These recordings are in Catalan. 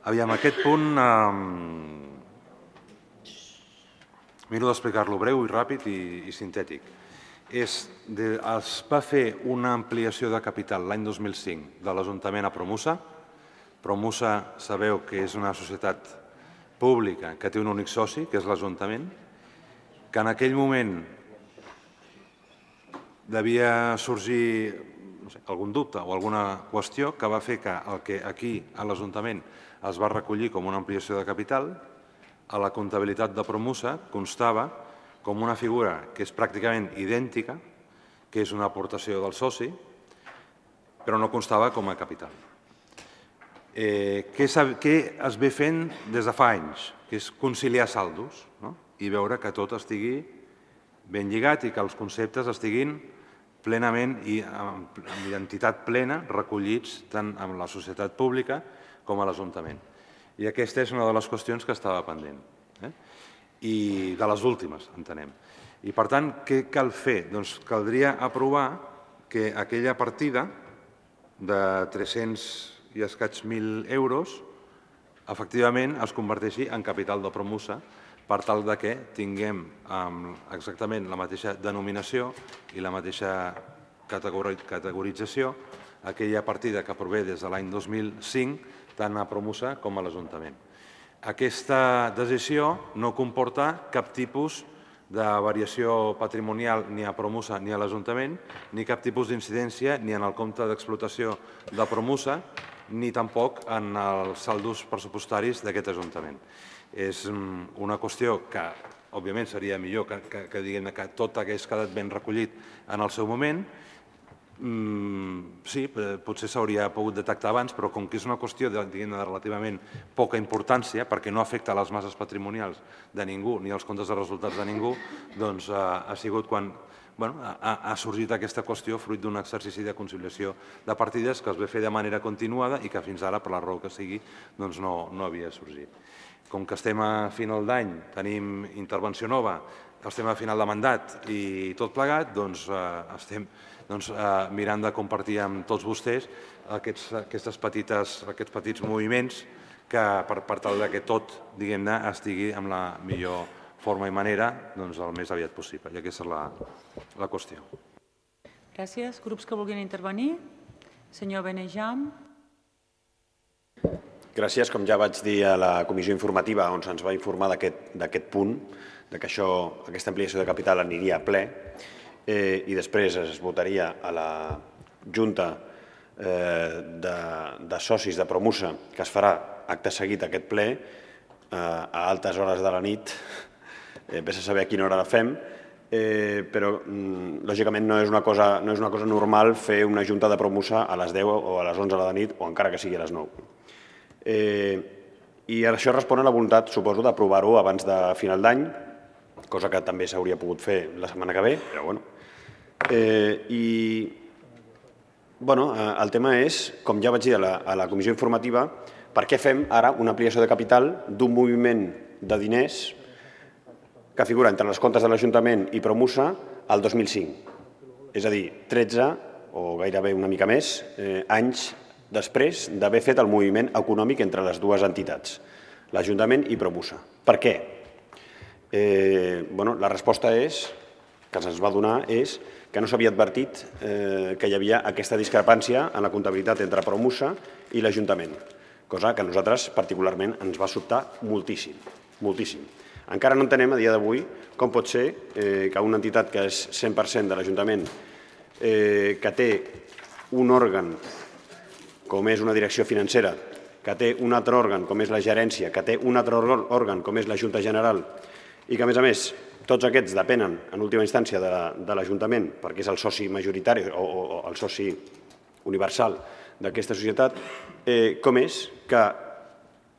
Aviam, aquest punt miro d'explicar-lo breu i ràpid i sintètic. Es va fer una ampliació de capital l'any 2005 de l'Ajuntament a Promusa. Promusa sabeu que és una societat pública que té un únic soci, que és l'Ajuntament, que en aquell moment devia sorgir algun dubte o alguna qüestió que va fer que el que aquí a l'Ajuntament es va recollir com una ampliació de capital, a la comptabilitat de Promusa constava com una figura que és pràcticament idèntica, que és una aportació del soci, però no constava com a capital. Què es ve fent des de fa anys? Que és conciliar saldos i veure que tot estigui ben lligat i que els conceptes estiguin plenament i amb identitat plena recollits tant en la societat pública com a l'Ajuntament. I aquesta és una de les qüestions que estava pendent. I de les últimes, entenem. I per tant, què cal fer? Doncs caldria aprovar que aquella partida de 300 i escaig 1.000 euros efectivament es converteixi en capital de Promusa per tal que tinguem exactament la mateixa denominació i la mateixa categorització aquella partida que prové des de l'any 2005 tant a Promusa com a l'Ajuntament. Aquesta decisió no comporta cap tipus de variació patrimonial ni a Promusa ni a l'Ajuntament, ni cap tipus d'incidència ni en el compte d'explotació de Promusa, ni tampoc en els saldos pressupostaris d'aquest Ajuntament. És una qüestió que, òbviament, seria millor que tot hagués quedat ben recollit en el seu moment. Sí, potser s'hauria pogut detectar abans, però com que és una qüestió de relativament poca importància, perquè no afecta les masses patrimonials de ningú ni els comptes de resultats de ningú, doncs ha sigut quan ha sorgit aquesta qüestió fruit d'un exercici de conciliació de partides que es va fer de manera continuada i que fins ara, per la raó que sigui, no havia sorgit. Com que estem a final d'any, tenim intervenció nova, estem a final de mandat i tot plegat, doncs estem mirant de compartir amb tots vostès aquests petits moviments per tal que tot estigui amb la millor forma i manera el més aviat possible. I aquesta és la qüestió. Gràcies. Grups que vulguin intervenir? Senyor Benejam. Gràcies. Com ja vaig dir a la comissió informativa on se'ns va informar d'aquest punt, que aquesta ampliació de capital aniria a ple i després es votaria a la Junta de Socis de Promusa, que es farà acte seguit aquest ple a altes hores de la nit, vés a saber a quina hora la fem, però lògicament no és una cosa normal fer una Junta de Promusa a les 10 o a les 11 de la nit o encara que sigui a les 9. I això respon a la voluntat, suposo, d'aprovar-ho abans de final d'any, cosa que també s'hauria pogut fer la setmana que ve, però bueno. El tema és, com ja vaig dir a la comissió informativa, per què fem ara una ampliació de capital d'un moviment de diners que figura entre els comptes de l'Ajuntament i Promusa al 2005. És a dir, 13 o gairebé una mica més anys després d'haver fet el moviment econòmic entre les dues entitats, l'Ajuntament i Promusa. Per què? La resposta que se'ns va donar és que no s'havia advertit que hi havia aquesta discrepància en la comptabilitat entre Promusa i l'Ajuntament, cosa que a nosaltres particularment ens va sobtar moltíssim, moltíssim. Encara no entenem a dia d'avui com pot ser que una entitat que és 100% de l'Ajuntament, que té un òrgan com és una direcció financera, que té un altre òrgan com és la gerència, que té un altre òrgan com és la Junta General i que, a més, tots aquests depenen, en última instància, de l'Ajuntament perquè és el soci majoritari o el soci universal d'aquesta societat, com és que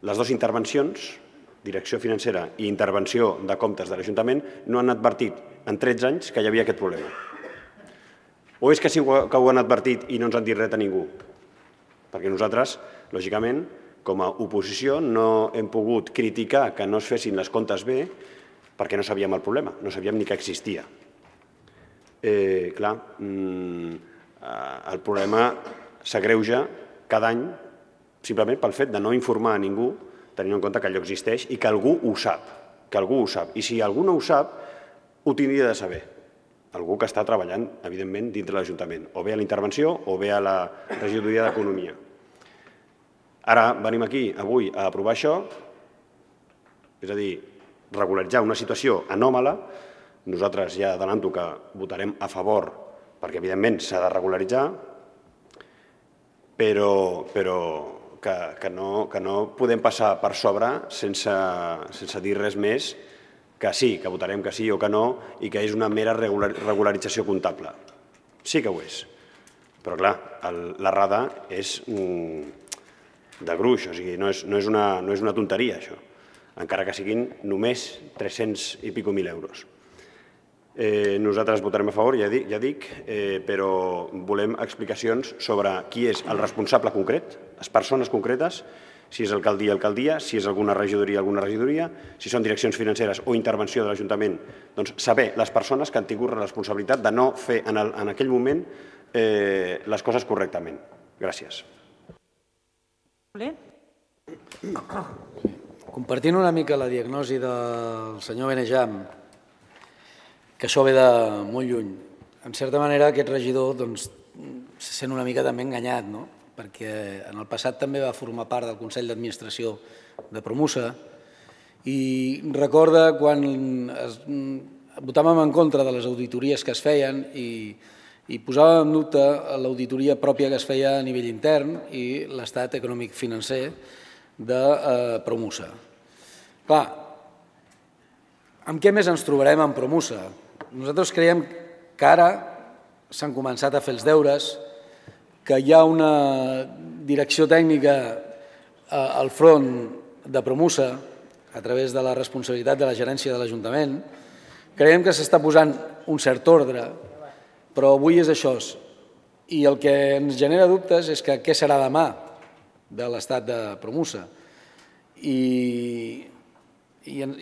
les dues intervencions, direcció financera i intervenció de comptes de l'Ajuntament, no han advertit en 13 anys que hi havia aquest problema. O és que sí que ho han advertit i no ens han dit res a ningú? Perquè nosaltres, lògicament, com a oposició, no hem pogut criticar que no es fessin les comptes bé perquè no sabíem el problema, no sabíem ni que existia. Clar, el problema s'agreuja cada any simplement pel fet de no informar a ningú, tenint en compte que allò existeix i que algú ho sap. I si algú no ho sap, ho tindria de saber. Algú que està treballant, evidentment, dintre l'Ajuntament, o bé a la intervenció o bé a la regidoria d'Economia. Ara venim aquí avui a aprovar això, és a dir, regularitzar una situació anòmala. Nosaltres ja adelanto que votarem a favor perquè, evidentment, s'ha de regularitzar, però que no podem passar per sobre sense dir res més que sí, que votarem que sí o que no i que és una mera regularització comptable. Sí que ho és. Però, clar, l'errada és de gruix, o sigui, no és una tonteria, això, encara que siguin només 300 i escaig mil euros. Nosaltres votarem a favor, ja dic, però volem explicacions sobre qui és el responsable concret, les persones concretes, si és alcaldia, si és alguna regidoria, si són direccions financeres o intervenció de l'Ajuntament, doncs saber les persones que han tingut la responsabilitat de no fer en aquell moment les coses correctament. Gràcies. Compartint una mica la diagnosi del senyor Benejam, que això ve de molt lluny. En certa manera, aquest regidor se sent una mica també enganyat, perquè en el passat també va formar part del Consell d'Administració de Promusa i recorda quan votàvem en contra de les auditories que es feien i posàvem en dubte l'auditoria pròpia que es feia a nivell intern i l'estat econòmic financer de Promusa. Clar, amb què més ens trobarem en Promusa? Nosaltres creiem que ara s'han començat a fer els deures, que hi ha una direcció tècnica al front de Promusa a través de la responsabilitat de la gerència de l'Ajuntament. Creiem que s'està posant un cert ordre, però avui és això. I el que ens genera dubtes és que què serà demà de l'estat de Promusa. I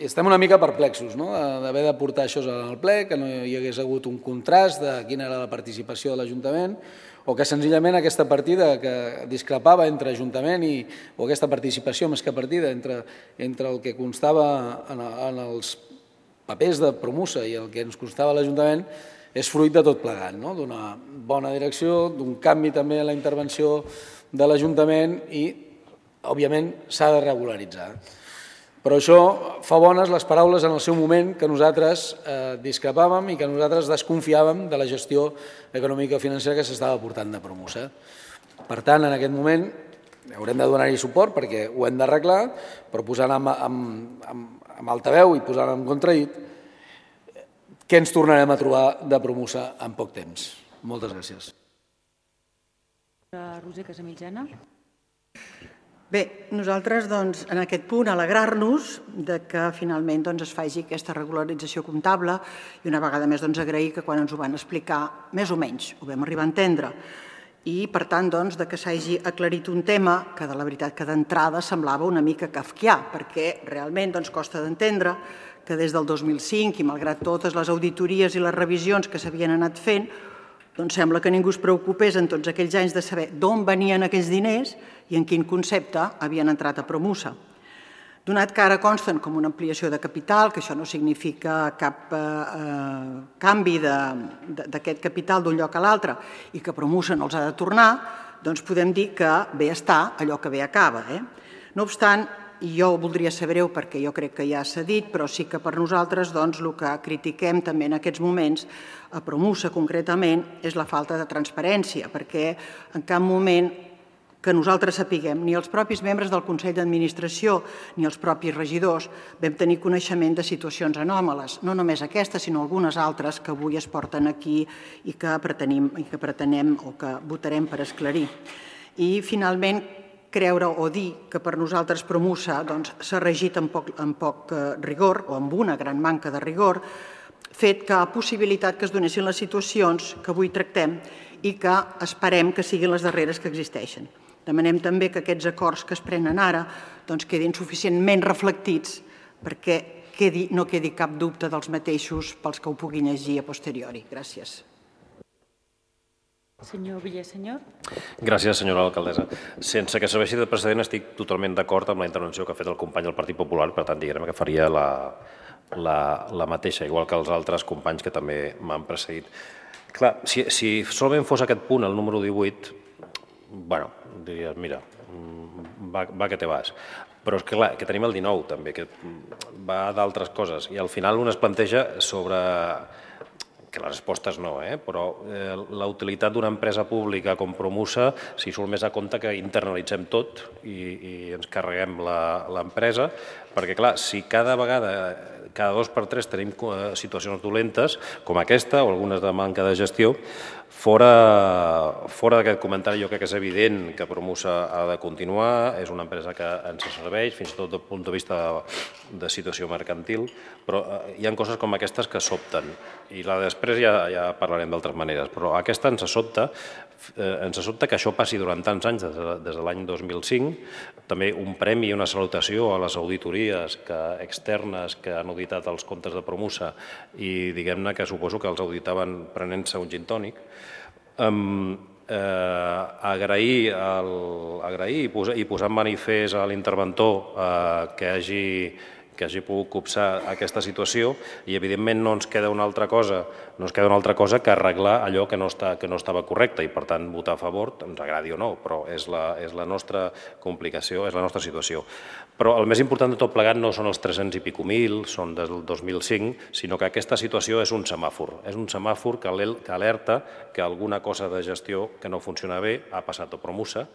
estem una mica perplexos d'haver de portar això al ple, que no hi hagués hagut un contrast de quina era la participació de l'Ajuntament o que senzillament aquesta partida que discrepava entre Ajuntament o aquesta participació més que partida entre el que constava en els papers de Promusa i el que ens constava a l'Ajuntament és fruit de tot plegat, d'una bona direcció, d'un canvi també en la intervenció de l'Ajuntament i, òbviament, s'ha de regularitzar. Però això fa bones les paraules en el seu moment que nosaltres discrepàvem i que nosaltres desconfiàvem de la gestió econòmica i financera que s'estava portant de Promusa. Per tant, en aquest moment haurem de donar-hi suport perquè ho hem d'arreglar, però posant amb altaveu i posant en contradit què ens tornarem a trobar de Promusa en poc temps. Moltes gràcies. Roser Casamitjana. Bé, nosaltres en aquest punt alegrar-nos que finalment es faci aquesta regularització comptable i una vegada més agrair que quan ens ho van explicar més o menys ho vam arribar a entendre i per tant que s'hagi aclarit un tema que de la veritat que d'entrada semblava una mica kafkià perquè realment costa d'entendre que des del 2005 i malgrat totes les auditories i les revisions que s'havien anat fent sembla que ningú es preocupés en tots aquells anys de saber d'on venien aquells diners i en quin concepte havien entrat a Promusa. Donat que ara consten com una ampliació de capital, que això no significa cap canvi d'aquest capital d'un lloc a l'altre i que Promusa no els ha de tornar, podem dir que bé està allò que bé acaba. No obstant, i jo ho voldria ser breu perquè jo crec que ja s'ha dit, però sí que per nosaltres el que critiquem també en aquests moments a Promusa concretament és la falta de transparència, perquè en cap moment que nosaltres sapiguem, ni els propis membres del Consell d'Administració ni els propis regidors vam tenir coneixement de situacions anòmales, no només aquesta, sinó algunes altres que avui es porten aquí i que pretenem o que votarem per esclarir. I finalment, creure o dir que per nosaltres Promusa s'ha regit amb poc rigor o amb una gran manca de rigor, fet que ha possibilitat que es donessin les situacions que avui tractem i que esperem que siguin les darreres que existeixen. Demanem també que aquests acords que es prenen ara quedin suficientment reflectits perquè no quedi cap dubte dels mateixos pels que ho puguin llegir a posteriori. Gràcies. Senyor Villasenyor. Gràcies, senyora alcaldessa. Sense que serveixi de precedent, estic totalment d'acord amb la intervenció que ha fet el company del Partit Popular, per tant, diguem que faria la mateixa, igual que els altres companys que també m'han precedit. Clar, si solament fos aquest punt, el número 18, bueno, diries, mira, va que te vas. Però és que, clar, que tenim el 19 també, que va d'altres coses, i al final un es planteja sobre... que les respostes no, però la utilitat d'una empresa pública com Promusa, si surt més a compte que internalitzem tot i ens carreguem l'empresa, perquè, clar, si cada vegada, cada 2 per 3 tenim situacions dolentes, com aquesta o algunes de manca de gestió, fora d'aquest comentari jo crec que és evident que Promusa ha de continuar, és una empresa que ens serveix, fins i tot des del punt de vista de situació mercantil, però hi ha coses com aquestes que sobten, i després ja parlarem d'altres maneres, però aquesta ens sobta que això passi durant tants anys, des de l'any 2005, també un premi i una salutació a les auditories externes que han auditat els comptes de Promusa i diguem-ne que suposo que els auditaven prenent-se un gin tònic. Agrair i posar en manifest a l'interventor que hagi pogut copsar aquesta situació i, evidentment, no ens queda una altra cosa que arreglar allò que no estava correcte i, per tant, votar a favor, ens agradi o no, però és la nostra complicació, és la nostra situació. Però el més important de tot plegat no són els 300 i pico mil, són del 2005, sinó que aquesta situació és un semàfor. És un semàfor que alerta que alguna cosa de gestió que no funciona bé ha passat a Promusa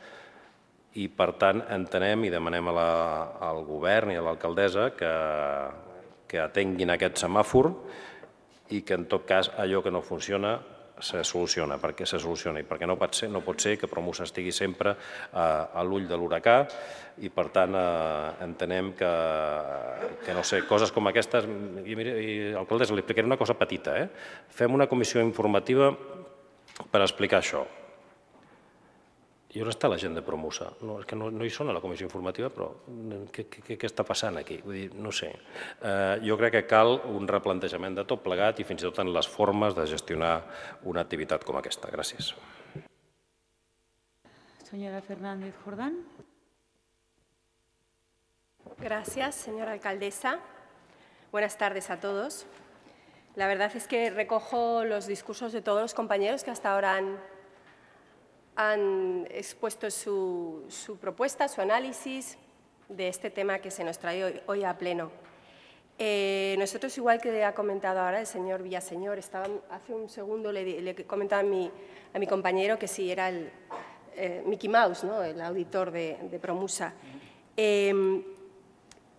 i, per tant, entenem i demanem al govern i a l'alcaldessa que atenguin aquest semàfor i que, en tot cas, allò que no funciona se soluciona, perquè no pot ser que Promusa estigui sempre a l'ull de l'huracà i, per tant, entenem que no sé, coses com aquestes... I, alcaldessa, li explicaré una cosa petita. Fem una comissió informativa per explicar això. I on està la gent de Promusa? És que no hi són a la comissió informativa, però què està passant aquí? Vull dir, no sé. Jo crec que cal un replantejament de tot plegat i fins i tot en les formes de gestionar una activitat com aquesta. Gràcies. Señora Fernández Jordán. Gracias, señora alcaldesa. Buenas tardes a todos. La verdad es que recojo los discursos de todos los compañeros que hasta ahora han expuesto su propuesta, su análisis de este tema que se nos trae hoy a pleno. Nosotros, igual que ha comentado ahora el señor Villasenyor, hace un segundo le comentaba a mi compañero que sí era el Mickey Mouse, ¿no? El auditor de Promusa.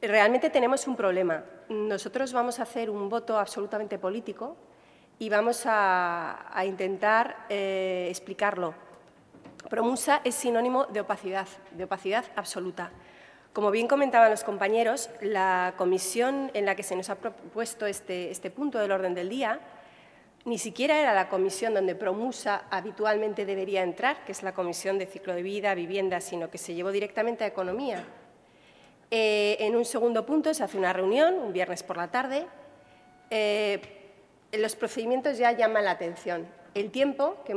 Realmente tenemos un problema. Nosotros vamos a hacer un voto absolutamente político y vamos a intentar explicarlo. Promusa es sinónimo de opacidad absoluta. Como bien comentaban los compañeros, la comisión en la que se nos ha propuesto este punto del orden del día ni siquiera era la comisión donde Promusa habitualmente debería entrar, que es la Comisión de Ciclo de Vida, Vivienda, sino que se llevó directamente a Economía. En un segundo punto se hace una reunión, un viernes por la tarde. Los procedimientos ya llaman la atención. El tiempo que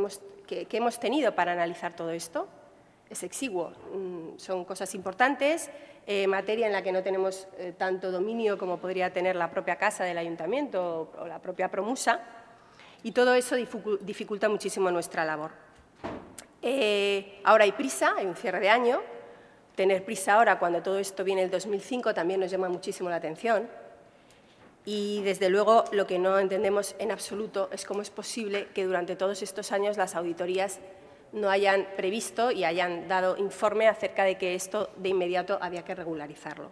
hemos tenido para analizar todo esto es exiguo. Son cosas importantes, materia en la que no tenemos tanto dominio como podría tener la propia casa del ayuntamiento o la propia Promusa, y todo eso dificulta muchísimo nuestra labor. Ahora hay prisa, hay un cierre de año. Tener prisa ahora, cuando todo esto viene del 2005, también nos llama muchísimo la atención. Y, desde luego, lo que no entendemos en absoluto es cómo es posible que durante todos estos años las auditorías no hayan previsto y hayan dado informe acerca de que esto de inmediato había que regularizarlo.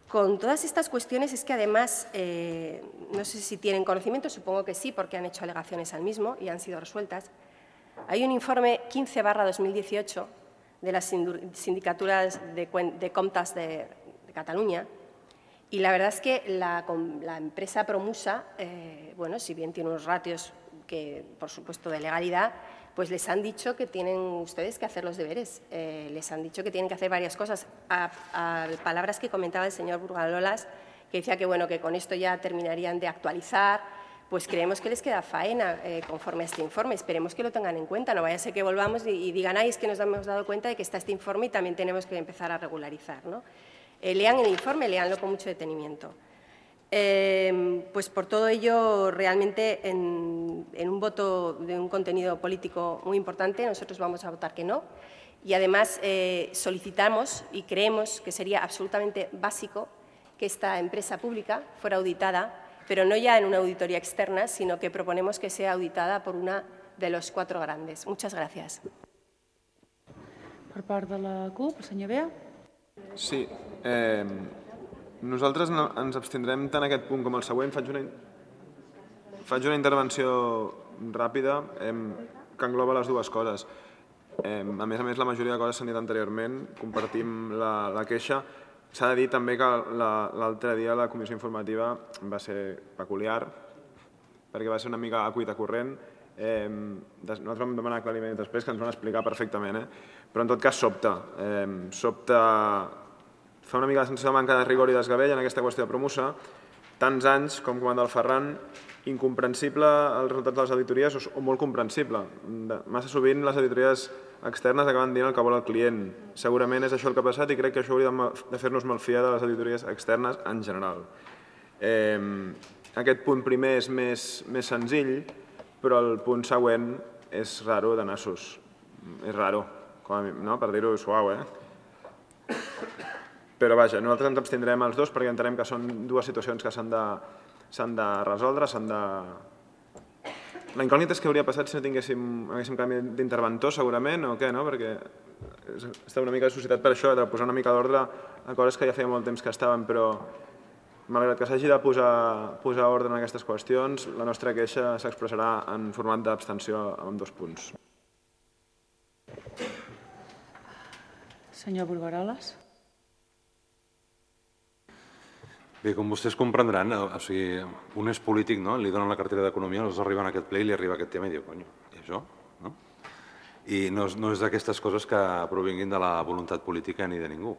Con todas estas cuestiones es que, además, no sé si tienen conocimiento, supongo que sí, porque han hecho alegaciones al mismo y han sido resueltas. Hay un informe 15/2018 de las sindicaturas de comptas de Cataluña. Y la verdad es que la empresa Promusa, bueno, si bien tiene unos ratios que, por supuesto, de legalidad, pues les han dicho que tienen ustedes que hacer los deberes. Les han dicho que tienen que hacer varias cosas. A palabras que comentaba el señor Burgalolas, que decía que, bueno, que con esto ya terminarían de actualizar, pues creemos que les queda faena conforme a este informe. Esperemos que lo tengan en cuenta. No vaya a ser que volvamos y digan, ay, es que nos hemos dado cuenta de que está este informe y también tenemos que empezar a regularizar, ¿no? Lean el informe, leanlo con mucho detenimiento. Pues por todo ello, realmente, en un voto de un contenido político muy importante, nosotros vamos a votar que no. Y además solicitamos y creemos que sería absolutamente básico que esta empresa pública fuera auditada, pero no ya en una auditoría externa, sino que proponemos que sea auditada por una de los 4 grandes. Muchas gracias. Per part de la CUP, el senyor Bea. Sí. Nosaltres ens abstindrem tant aquest punt com el següent. Faig una intervenció ràpida que engloba les dues coses. A més, la majoria de coses s'han dit anteriorment. Compartim la queixa. S'ha de dir també que l'altre dia la comissió informativa va ser peculiar perquè va ser una mica a cuita corrent. Nosaltres vam demanar aclariments després que ens van explicar perfectament, però en tot cas sobta. Fa una mica la sensació de manca de rigor i desgavell en aquesta qüestió de Promusa. Tants anys, com comanda el Ferran, incomprensible els resultats de les auditories o molt comprensible. Massa sovint les auditories externes acaben dient el que vol el client. Segurament és això el que ha passat i crec que això hauria de fer-nos malfiar de les auditories externes en general. Aquest punt primer és més senzill, però el punt següent és raro de nassos. És raro, per dir-ho suau, Però vaja, nosaltres ens abstindrem els dos perquè entenem que són dues situacions que s'han de resoldre, La incògnita és què hauria passat si no haguéssim canvi d'interventor, segurament, o què, no? Perquè està una mica suscitat per això, de posar una mica d'ordre a coses que ja feia molt temps que estaven, però malgrat que s'hagi de posar ordre en aquestes qüestions, la nostra queixa s'expressarà en format d'abstenció amb 2 punts. Senyor Burgaroles. Bé, com vostès comprendran, un és polític, li donen la cartera d'Economia, els arriba en aquest ple i li arriba aquest tema i diu, conyo, i això? I no és d'aquestes coses que provinguin de la voluntat política ni de ningú.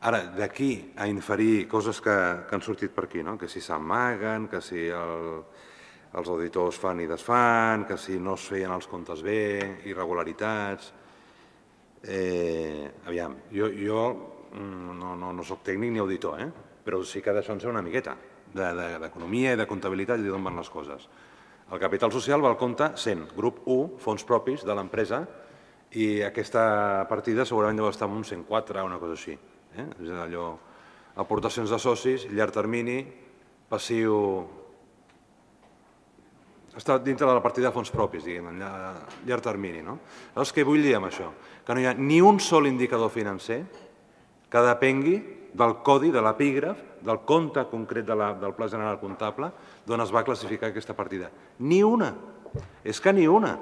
Ara, d'aquí a inferir coses que han sortit per aquí, que si s'amaguen, que si els auditors fan i desfan, que si no es feien els comptes bé, irregularitats... Aviam, jo no soc tècnic ni auditor, però sí que d'això en sé una miqueta, d'economia i de comptabilitat i d'on van les coses. El capital social va al compte 100, grup 1, fons propis de l'empresa, i aquesta partida segurament deu estar en un 104 o una cosa així. És allò, aportacions de socis, llarg termini, passiu... Està dintre de la partida de fons propis, diguem, llarg termini. Llavors, què vull dir amb això? Que no hi ha ni un sol indicador financer que depengui del codi, de l'epígraf, del compte concret del Pla General Comptable d'on es va classificar aquesta partida. Ni una! És que ni una!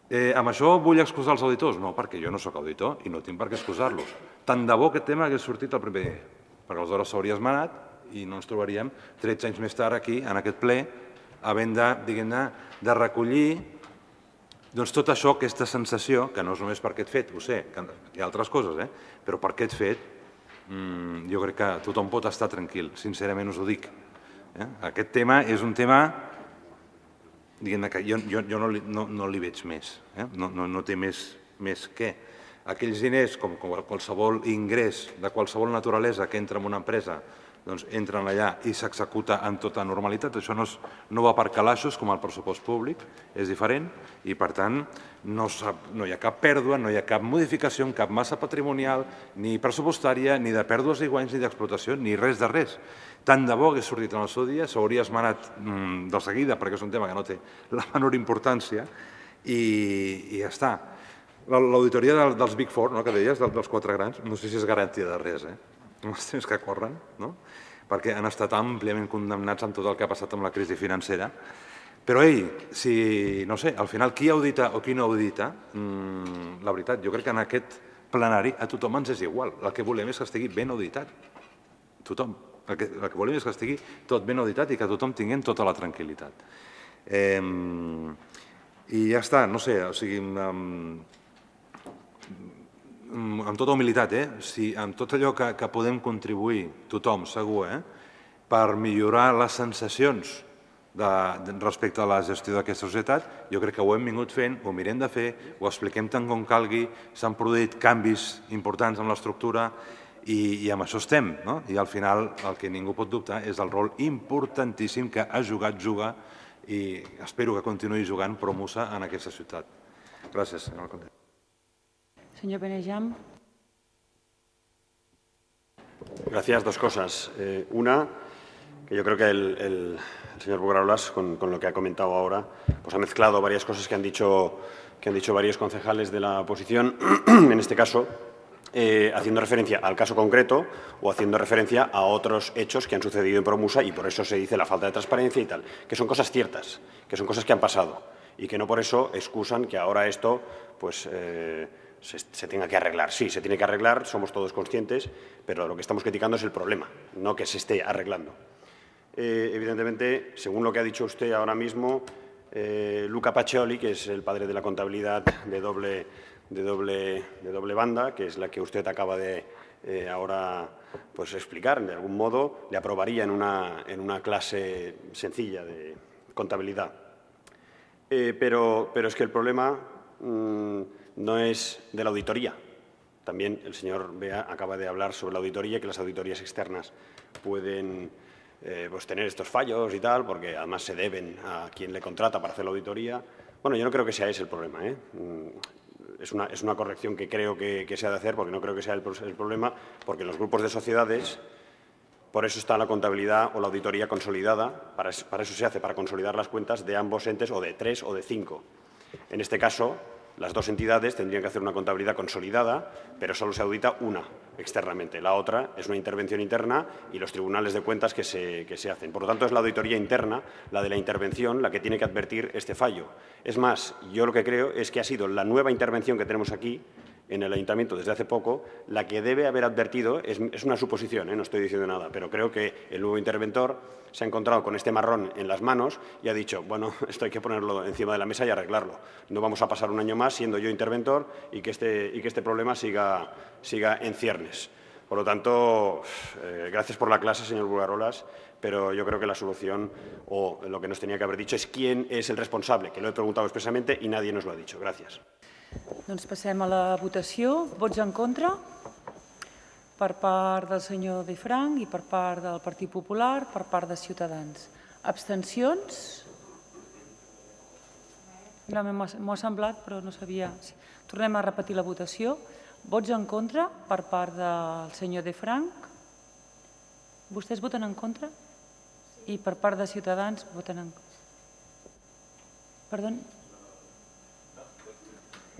Amb això vull excusar els auditors? No, perquè jo no soc auditor i no tinc per què excusar-los. Tant de bo aquest tema hagués sortit el primer dia, perquè aleshores s'hauria esmenat i no ens trobaríem 13 anys més tard aquí, en aquest ple, havent de recollir tot això, aquesta sensació, que no és només per aquest fet, ho sé, hi ha altres coses, però per aquest fet jo crec que tothom pot estar tranquil, sincerament us ho dic. Aquest tema és un tema que jo no li veig més, no té més que aquells diners, com qualsevol ingrés de qualsevol naturalesa que entra en una empresa, doncs entren allà i s'executa amb tota normalitat. Això no va per calaixos com el pressupost públic, és diferent i, per tant, no hi ha cap pèrdua, no hi ha cap modificació en cap massa patrimonial, ni pressupostària, ni de pèrdues i guanys, ni d'explotació, ni res de res. Tant de bo hagués sortit en el seu dia, s'hauria esmenat de seguida, perquè és un tema que no té la menor importància, i ja està. L'auditoria dels Big Four, que deies, dels 4 grans, no sé si és garantia de res, els temps que corren, perquè han estat àmpliament condemnats amb tot el que ha passat amb la crisi financera. Però, si, no sé, al final qui audita o qui no audita, la veritat, jo crec que en aquest plenari a tothom ens és igual. El que volem és que estigui ben auditat. Tothom. El que volem és que estigui tot ben auditat i que tothom tinguem tota la tranquil·litat. I ja està, no sé, o sigui, amb tota humilitat, amb tot allò que podem contribuir, tothom, segur, per millorar les sensacions respecte a la gestió d'aquesta societat. Jo crec que ho hem vingut fent, ho mirem de fer, ho expliquem tant com calgui, s'han produït canvis importants en l'estructura i amb això estem. I al final el que ningú pot dubtar és el rol importantíssim que ha jugat, juga i espero que continuï jugant Promusa en aquesta ciutat. Gràcies, senyor alcalde. Senyor Benejam. Gracias. Dos cosas. Una, que yo creo que el señor Bugarolas, con lo que ha comentado ahora, pues ha mezclado varias cosas que han dicho varios concejales de la oposición, en este caso, haciendo referencia al caso concreto o haciendo referencia a otros hechos que han sucedido en Promusa y por eso se dice la falta de transparencia y tal, que son cosas ciertas, que son cosas que han pasado y que no por eso excusan que ahora esto pues se tenga que arreglar. Sí, se tiene que arreglar, somos todos conscientes, pero lo que estamos criticando es el problema, no que se esté arreglando. Evidentemente, según lo que ha dicho usted ahora mismo, Luca Pacioli, que es el padre de la contabilidad de doble banda, que es la que usted acaba de ahora pues, explicar, de algún modo, le aprobaría en una clase sencilla de contabilidad. Pero es que el problema no es de la auditoría. También el señor Bea acaba de hablar sobre la auditoría y que las auditorías externas pueden pues tener estos fallos y tal, porque además se deben a quien le contrata para hacer la auditoría. Bueno, yo no creo que sea ese el problema. Es una corrección que creo que se ha de hacer, porque no creo que sea el problema, porque en los grupos de sociedades, por eso está la contabilidad o la auditoría consolidada, para eso se hace, para consolidar las cuentas de ambos entes, o de 3 o de 5. En este caso, las dos entidades tendrían que hacer una contabilidad consolidada, pero solo se audita una externamente. La otra es una intervención interna y los tribunales de cuentas que se hacen. Por lo tanto, es la auditoría interna, la de la intervención, la que tiene que advertir este fallo. Es más, yo lo que creo es que ha sido la nueva intervención que tenemos aquí, en el Ayuntamiento desde hace poco, la que debe haber advertido, es una suposición, no estoy diciendo nada, pero creo que el nuevo interventor se ha encontrado con este marrón en las manos y ha dicho, bueno, esto hay que ponerlo encima de la mesa y arreglarlo. No vamos a pasar un año más siendo yo interventor y que este problema siga en ciernes. Por lo tanto, gracias por la clase, señor Bugarolas, pero yo creo que la solución, o lo que nos tenía que haber dicho, es quién es el responsable, que lo he preguntado expresamente y nadie nos lo ha dicho. Gracias. Doncs passem a la votació. Vots en contra per part del senyor De Frank i per part del Partit Popular, per part de Ciutadans. Abstencions? M'ho ha semblat, però no sabia. Tornem a repetir la votació. Vots en contra per part del senyor De Frank. Vostès voten en contra? I per part de Ciutadans voten en contra. Perdó?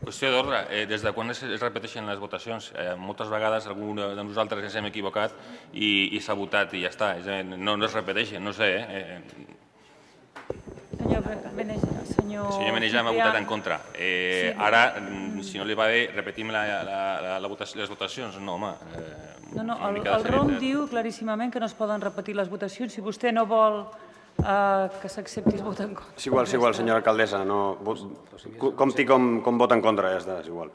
Qüestió d'ordre. Des de quan es repeteixen les votacions? Moltes vegades algú de nosaltres ens hem equivocat i s'ha votat i ja està. No es repeteixen, no sé. Senyor Benejam ha votat en contra. Ara, si no li va bé, repetim les votacions. No, home. El ROM diu claríssimament que no es poden repetir les votacions. Si vostè no vol que s'accepti el vot en contra. És igual, senyora alcaldessa. Compti com vot en contra, ja està, és igual.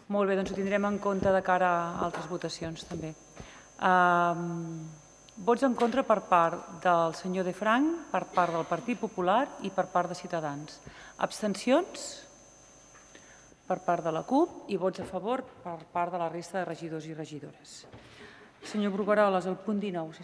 Molt bé, doncs ho tindrem en compte de cara a altres votacions, també. Vots en contra per part del senyor De Frank, per part del Partit Popular i per part de Ciutadans. Abstencions per part de la CUP i vots a favor per part de la resta de regidors i regidores. Senyor Brugueroles, el punt 19, sisplau.